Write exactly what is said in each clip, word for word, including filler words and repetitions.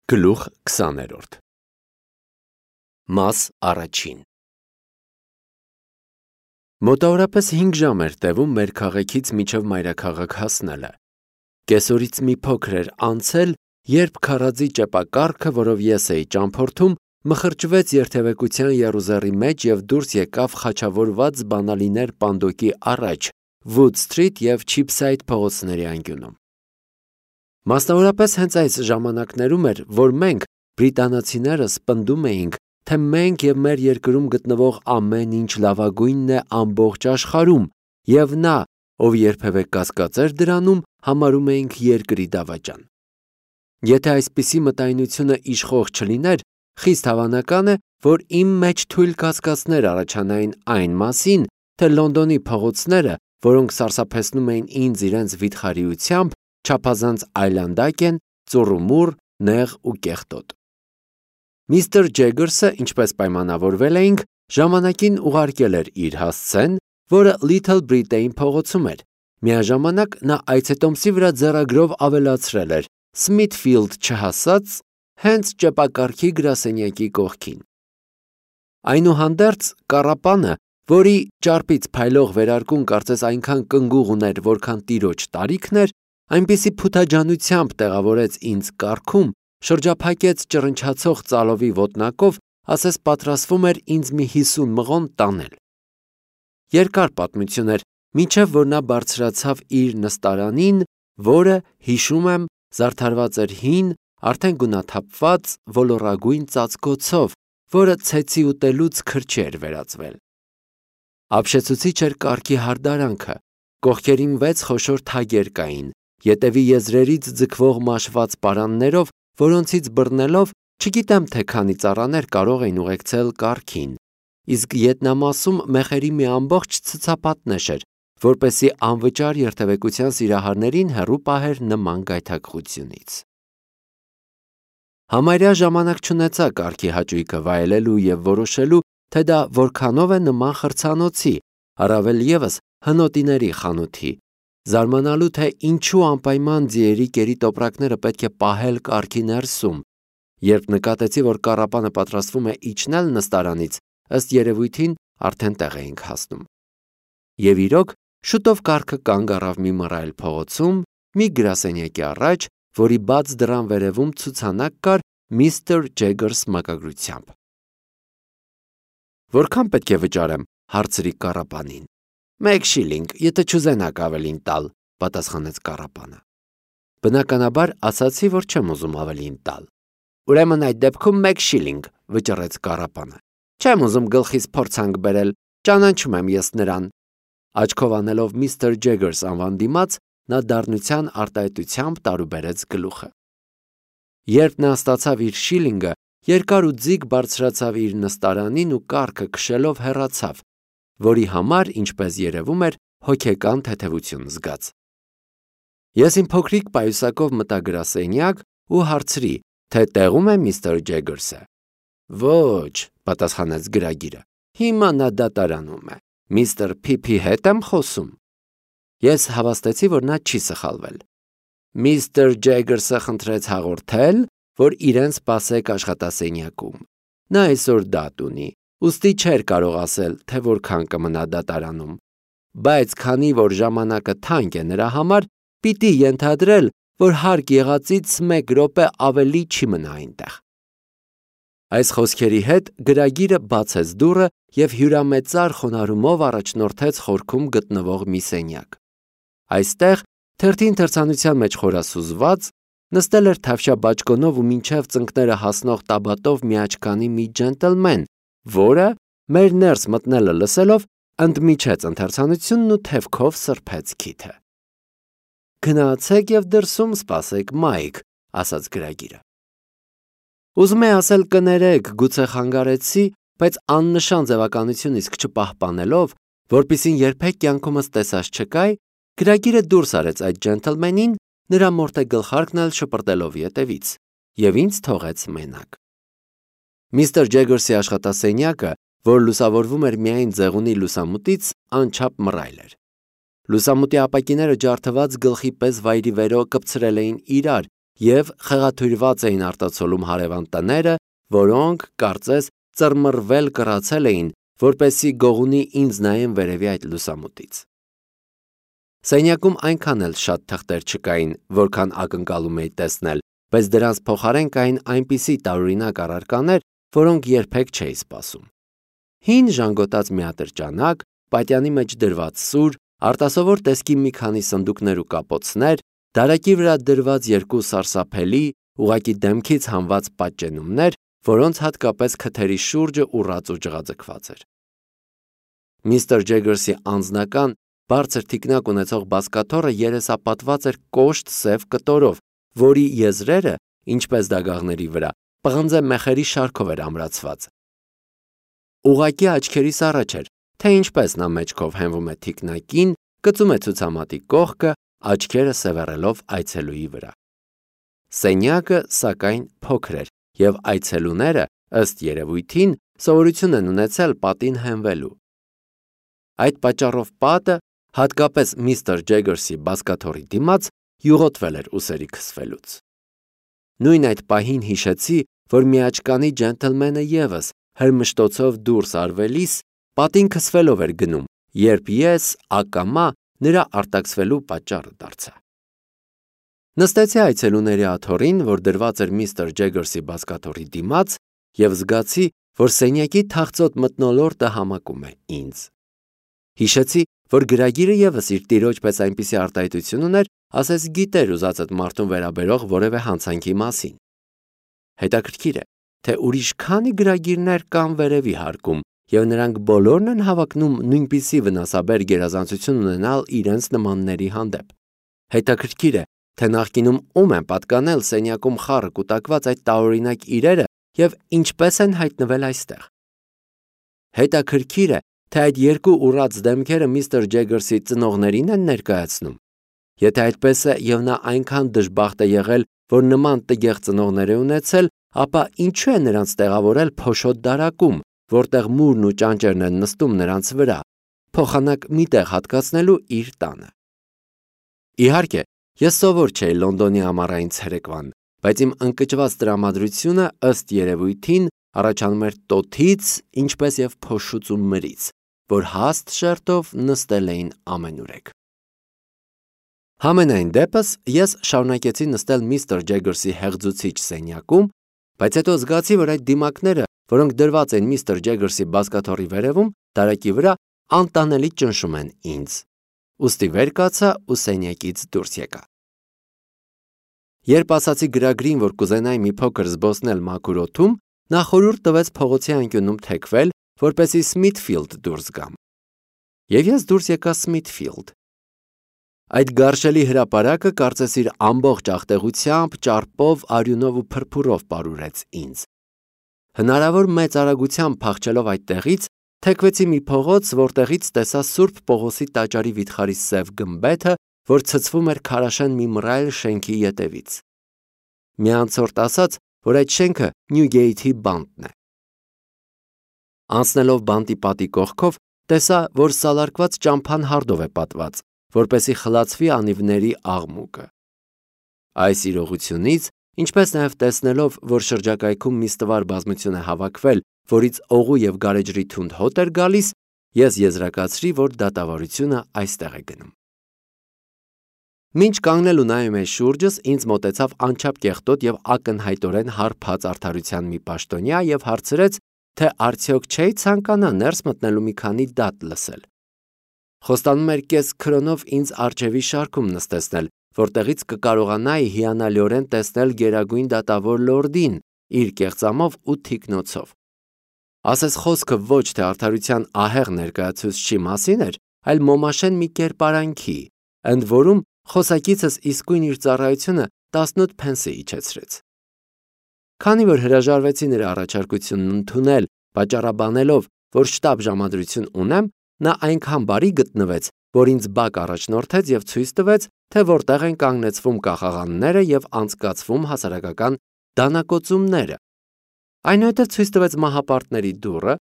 Գլուխ քսաներորդ Մաս առաջին Մոտավորապես հինգ ժամ էր տևում մեր քաղաքից մինչև մայրաքաղաք հասնելը։ Կեսօրից մի փոքր էր անցել, երբ քարաձի ճեպակառքը, որով ես էի ճամփորդում, մխրճվեց երթևեկության եռուզեռի մեջ և դուրս եկավ խաչավորված բանալիներ պանդոկի առաջ, Wood Street և Cheapside փողոցների անկյունում։ Մասնավորապես հենց այս ժամանակներում էր, որ մենք, բրիտանացիներս, պնդում էինք, թե մենք և մեր երկրում գտնվող ամեն ինչ լավագույնն է ամբողջ աշխարհում, և նա, ով երբևէ կասկած էր դրանում, համարում էինք երկրի դավաճան։ Եթե այսպիսի մտայնությունը իշխող չլիներ, խիստ հավանական է, որ իմ մեջ թույլ կասկածներ առաջանային այն մասին, թե Լոնդոնի փողոցները, որոնք սարսափեցնում էին ինձ իրենց վիթխարիությամբ, չափազանց այլանդակ են, ծուռումուռ, նեղ ու կեղտոտ։ Միստր Ջեգերսը, ինչպես պայմանավորվել էինք, ժամանակին ուղարկել էր իր հասցեն, որը Little Britain փողոցում էր։ Միաժամանակ նա այցետոմսի վրա ձեռագրով ավելացրել էր Smithfield չհասած, հենց ճեպակառքի գրասենյակի կողքին։ Այնուհանդերձ կառապանը, որի ճարպից փայլող վերարկուն կարծես այնքան կնգուղ ուներ, որքան տիրոջ տարիքն էր, այնպիսի փութաջանությամբ տեղավորեց ինձ կառքում, շրջափակեց ճռնչացող ծալովի ոտնակով, ասես պատրաստվում էր ինձ մի հիսուն մղոն տանել։ Երկար պատմություն էր, մինչև որ նա բարձրացավ իր նստարանին, որը, հիշում եմ, զարդարված էր հին, արդեն գունաթափված ոլորագույն ծածկոցով, որը ցեցի ուտելուց քրչի էր վերածվել։ Ապշեցուցիչ էր կառքի հարդարանքը, կողքերին վեց խոշոր թագեր կային, ետևի եզրերից ձգվող մաշված պարաններով, որոնցից բռնելով, չգիտեմ թե քանի ծառաներ կարող էին ուղեկցել կառքին, իսկ ետնամասում մեխերի մի ամբողջ ցցապատնեշ էր, որպեսզի անվճար երթևեկության սիրահարներին հեռու պահեր նման գայթակղությունից։ Համարյա ժամանակ չունեցա կառքի հաճույքը վայելելու և որոշելու, թե դա որքանով է նման խրցանոցի, առավել ևս հնոտիների խանութի, զարմանալու, թե ինչու անպայման ձիերի կերի տոպրակները պետք է պահել կառքի ներսում։ Երբ նկատեցի, որ կառապանը պատրաստվում է իջնել նստարանից, ըստ երևույթին արդեն տեղ էինք հասնում։ Եվ իրոք, շուտով կառքը կանգ առավ մի մռայլ փողոցում, մի գրասենյակի առաջ, որի բաց դռան վերևում ցուցանակ կար Միստր Ջեգերս մակագրությամբ։ Որքան պետք է վճարեմ, հարցրի կառապանին։ Մեկ շիլինգ, եթե չուզենաք ավելին տալ, պատասխանեց կառապանը։ Բնականաբար ասացի, որ չեմ ուզում ավելին տալ։ Ուրեմն այդ դեպքում մեկ շիլինգ, վճռեց կառապանը։ Չեմ ուզում գլխիս փորձանք բերել, ճանաչում եմ ես նրան։ Աչքով անելով միստր Ջեգերս անվան դիմաց, նա դառնության արտահայտությամբ տարուբերեց գլուխը։ Երբ նա ստացավ իր շիլինգը, երկար ու ձիգ բարձրացավ իր նստարանին ու կառքը քշելով հեռացավ, որի համար, ինչպես երևում էր, հոգեկան թեթևություն զգաց։ Ես իմ փոքրիկ պայուսակով մտա գրասենյակ ու հարցրի, թե տեղում է միստր Ջեգերսը։ Ոչ, պատասխանեց գրագիրը, հիմա նա դատարանում է, միստր Փիփի հետ եմ խոսում։ Ես հավաստեցի, որ նա չի սխալվել։ Միստր Ջեգերսը խնդրեց հաղորդել, որ իրեն սպասեք աշխատասենյակում։ Նա այսօր դատ ունի, ուստի չէր կարող ասել, թե որքան կմնա դատարանում, բայց քանի որ ժամանակը թանկ է նրա համար, պիտի ենթադրել, որ հարկ եղածից մեկ րոպե ավելի չի մնա այնտեղ։ Այս խոսքերի հետ գրագիրը բացեց դուռը և հյուրամեծար խոնարհումով առաջնորդեց խորքում գտնվող մի սենյակ։ Այստեղ, թերթին թրցանության մեջ խորասուզված, նստել էր թավշյա բաճկոնով ու մինչև ծնկները հասնող տաբատով միաչքանի մի ջենտլմեն, որը, մեր ներս մտնելը լսելով, ընդմիջեց ընթերցանությունն ու թևքով սրբեց քիթը։ Գնացեք և դրսում սպասեք Մայք, ասաց գրագիրը։ Ուզում է ասել կներեք, գուցե խանգարեցի, բայց աննշան ձևականություն իսկ չպահպանելով, որպեսզի երբեք կյանքումս տեսած չկայի, գրագիրը դուրս արեց այդ ջենտլմենին, նրա մորթե գլխարկն էլ շպրտելով ետևից, և ինձ թողեց մենակ։ Միստր Ջեգերսի աշխատասենյակը, որ լուսավորվում էր միայն ձեղունի լուսամուտից, անչափ մռայլ էր։ Լուսամուտի ապակիները ջարդված գլխի պես վայրիվերո կպցրել էին իրար և խեղաթյուրված էին արտացոլում հարևան տները, որոնք, կարծես, ծռմռվել կռացել էին, որպեսզի գողունի ինձ նայեն վերևի այդ լուսամուտից։ Սենյակում այնքան էլ շատ թղթեր չկային, որքան ակնկալում էի տեսնել, բայց դրանց փոխարեն կային այնպիսի տարօրինակ առարկաներ, որոնք երբեք չէի սպասում։ Հին ժանգոտած մի ատրճանակ, պատյանի մեջ դրված սուր, արտասովոր տեսքի մի քանի սնդուկներ ու կապոցներ, դարակի վրա դրված երկու սարսափելի, ուղղակի դեմքից հանված պատճենումներ, որոնց հատկապես քթերի շուրջը ուռած ու ջղաձգված էր։ Միստր Ջեգերսի անձնական, բարձր թիկնակ ունեցող բազկաթոռը երեսապատված էր կոշտ սև կտորով, որի եզրերը, ինչպես դագաղների վրա, պղնձե մեխերի շարքով էր ամրացված։ Ուղղակի աչքերիս առաջ էր, թե ինչպես նա մեջքով հենվում է թիկնակին, կծում է ցուցամատի կողքը, աչքերը սևեռելով այցելուի վրա։ Սենյակը, սակայն, փոքր էր, և այցելուները, ըստ երևույթին, սովորություն են ունեցել պատին հենվելու։ Այդ պատճառով պատը, հատկապես միստր Ջեգերսի բազկաթոռի դիմաց, յուղոտվել էր ուսերի քսվելուց։ Նույն այդ պահին հիշեցի, որ միաճկանի ջենթլմենը ևս հրմշտոցով դուրս արվելիս պատին քսվելով էր գնում, երբ ես ակամա նրա արտաքսվելու պատճառը դարձա։ Նստեցի այցելուների աթոռին, որ դրված էր միստր Ջեգերսի բազկաթոռի դիմաց, և զգացի, որ սենյակի թախծոտ մթնոլորտը համակում է ինձ։ Հիշեցի, որ գրագիրը ևս իր տիրոջ պես այնպիսի արտահայտություն ուներ, ասես գիտեր ուզածդ մարդուն վերաբերող որևէ հանցանքի մասին։ Հետաքրքիր է, թե ուրիշ քանի գրագիրներ կան վերևի հարկում, և նրանք բոլորն են հավակնում նույնպիսի վնասաբեր գերազանցություն ունենալ իրենց նմանների հանդեպ։ Հետաքրքիր է, թե նախկինում ում են պատկանել սենյակում խառը կուտակված այդ տարօրինակ իրերը և ինչպես են հայտնվել այստեղ։ Հետաքրքիր է, թե այդ երկու ուռած դեմքերը միստր Ջեգերսի ծնողներին են ներկայացնում։ Եթե այդպես է և նա այնքան դժբախտ է եղել, որ նման տգեղ ծնողներ է ունեցել, ապա ինչու է նրանց տեղավորել փոշոտ դարակում, որտեղ մուրն ու ճանճերն են նստում նրանց վրա, փոխանակ մի տեղ հատկացնելու իր տանը։ Իհարկե, ես սովոր չէի Լոնդոնի ամառային ցերեկվան, բայց իմ ընկճված տրամադրությունը, ըստ երևույթին, առաջանում էր տոթից, ինչպես և փոշուց ու մրից, որ հաստ շերտով նստել էին ամենուրեք։ Համենայն դեպս, ես շարունակեցի նստել միստր Ջեգերսի հեղձուցիչ սենյակում, բայց հետո զգացի, որ այդ դիմակները, որոնք դրված են միստր Ջեգերսի բազկաթոռի վերևում, դարակի վրա, անտանելի ճնշում են ինձ։ Ուստի վեր կացա ու սենյակից դուրս եկա։ Երբ ասացի գրագրին, որ կուզենայի մի փոքր զբոսնել մաքուր օդում, նա խորհուրդ տվեց փողոցի անկյունում թեքվել, որպեսզի Սմիթֆիլդ դուրս գամ։ Եվ ես դուրս եկա Սմիթֆիլդ։ Այդ գարշելի հրապարակը կարծես իր ամբողջ աղտեղությամբ, ճարպով, արյունով ու փրփուրով պարուրեց ինձ։ Հնարավոր մեծ արագությամբ փախչելով այդտեղից, թեքվեցի մի փողոց, որտեղից տեսա Սուրբ Պողոսի տաճարի վիթխարի սև գմբեթը, որ ցցվում էր քարաշեն մի մռայլ շենքի ետևից։ Մի անցորդ ասաց, որ այդ շենքը Նյուգեյթի բանտն է։ Անցնելով բանտի պատի կողքով, տեսա, որ սալարկված ճամփան հարդով է պատված, որպեսզի խլացվի անիվների աղմուկը։ Այս իրողությունից, ինչպես նաև տեսնելով, որ շրջակայքում մի ստվար բազմություն է հավաքվել, որից օղու և գարեջրի թունդ հոտ էր գալիս, ես եզրակացրի, որ դատավարությունը այստեղ է գնում։ Մինչ կանգնել ու նայում էի շուրջս, ինձ մոտեցավ անչափ կեղտոտ և ակնհայտորեն հարբած արդարության մի պաշտոնյա և հարցրեց, թե արդյոք չէի ցանկանա ներս մտնելու մի քանի դատ լսել։ Խոստանում էր կես քրոնով ինձ առջևի շարքում նստեցնել, որտեղից կկարողանայի հիանալիորեն տեսնել գերագույն դատավոր լորդին իր կեղծամով ու թիկնոցով։ Ասես խոսքը ոչ թե արդարության ահեղ ներկայացուցչի մասին էր, այլ մոմաշեն մի կերպարանքի, ընդ որում խոսակիցս իսկույն իր ծառայությունը տասնութ փենսի իջեցրեց։ Քանի որ հրաժարվեցի նրա առաջարկությունն ընդունել, պատճառաբանելով, որ շտապ ժամադրություն ունեմ, նա այնքան բարի գտնվեց, որ ինձ բակ առաջնորդեց և ցույց տվեց, թե որտեղ են կանգնեցվում կախաղանները և անցկացվում հասարակական դանակոծումները։ Այնուհետև ցույց տվեց մահապարտների դուռը,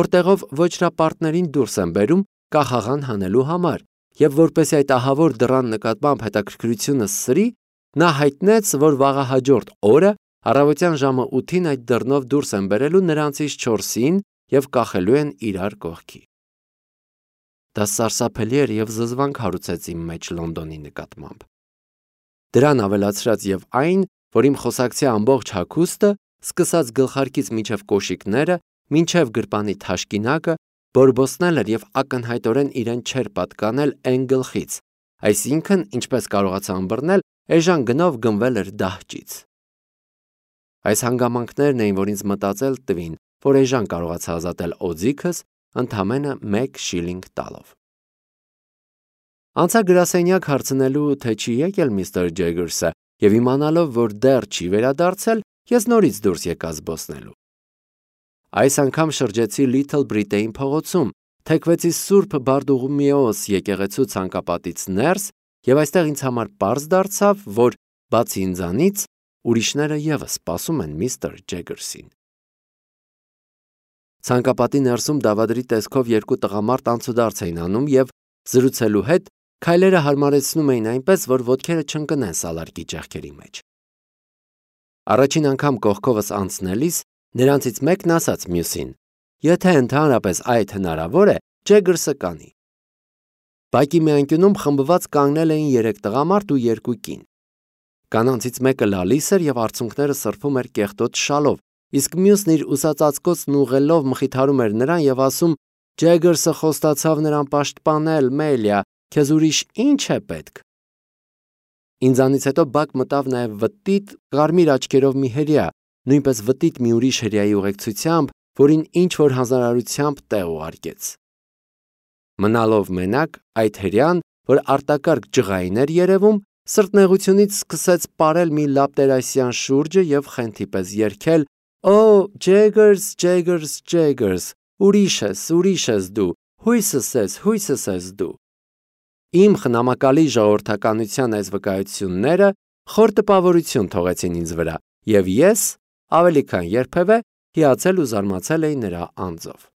որտեղով ոչրապարտներին դուրս են բերում կախաղան հանելու համար, և որպեսզի այդ ահավոր դռան նկատմամբ հետաքրքրությունը սրի, Նա հայտնեց, որ վաղահաջորդ օրը առավոտյան ժամը ութին այդ դռնով դուրս են բերելու նրանցից չորսին և կախելու են իրար կողքի։ Դա սարսափելի էր և զզվանք հարուցեց իմ մեջ Լոնդոնի նկատմամբ։ Դրան ավելացրած և այն, որ իմ խոսակցի ամբողջ հագուստը, սկսած գլխարկից մինչև կոշիկները, մինչև գրպանի թաշկինակը, բորբոցնել էր և ակնհայտորեն իրեն չէր պատկանել էն գլխից, այսինքն, ինչպես կարողացա ըմբռնել, էժան գնով գնվել էր դահճից։ Այս հանգամանքներն էին, որ ինձ մտածել տվին, որ էժան կարողացա ազատել օձիքս ընդամենը մեկ շիլինգ տալով։ Անցա գրասենյակ հարցնելու, թե չի եկել միստր Ջեգերսը, և իմանալով, որ դեռ չի վերադարձել, ես նորից դուրս եկա զբոսնելու։ Այս անգամ շրջեցի Լիթլ Բրիտեյն փողոցում, թեքվեցի Սուրբ Բարդուղիմեոս եկեղեցու ցանկապատից ներս, և այստեղ ինձ համար պարզ դարձավ, որ բացի ինձանից, ուրիշները ևս սպասում են միստր Ջեգերսին։ Ցանկապատի ներսում դավադրի տեսքով երկու տղամարդ անցուդարձ էին անում և, զրուցելու հետ, քայլերը հարմարեցնում էին այնպես, որ ոտքերը չընկնեն սալարկի ճեղքերի մեջ։ Առաջին անգամ կողքովս անցնելիս նրանցից մեկն ասաց մյուսին. «Եթե ընդհանրապես այդ հնարավոր է, Ջեգերսը կանի»։ Բակի մի անկյունում խմբված կանգնել էին երեք տղամարդ ու երկու կին։ Կանանցից մեկը լալիս էր և արցունքները սրբում էր կեղտոտ շալով, իսկ մյուսն իր ուսածածկոցն ուղղելով մխիթարում էր նրան և ասում. «Ջեգերսը խոստացավ նրան պաշտպանել, Մելիա, քեզ ուրիշ ի՞նչ է պետք»։ Ինձանից հետո բակ մտավ նաև վտիտ, կարմիր աչքերով մի հրեա, նույնպես վտիտ մի ուրիշ հրեայի ուղեկցությամբ, որին ինչ-որ հանձնարարությամբ տեղ ուղարկեց։ Մնալով մենակ, այդ հրեան, որ արտակարգ ջղային էր երևում, սրտնեղությունից սկսեց պարել մի լապտերասյան շուրջը և խենթի պես երգել. «Օ, Ջեգերս, Ջեգերս, Ջեգերս, ուրիշ ես, ուրիշ ես դու, հույսս ես, հույսս ես դու»։ Իմ խնամակալի ժողովրդականության այս վկայությունները խոր տպավորություն թողեցին ինձ վրա, և ես, ավելի քան երբևէ, հիացել ու զարմացել էի նրա անձով։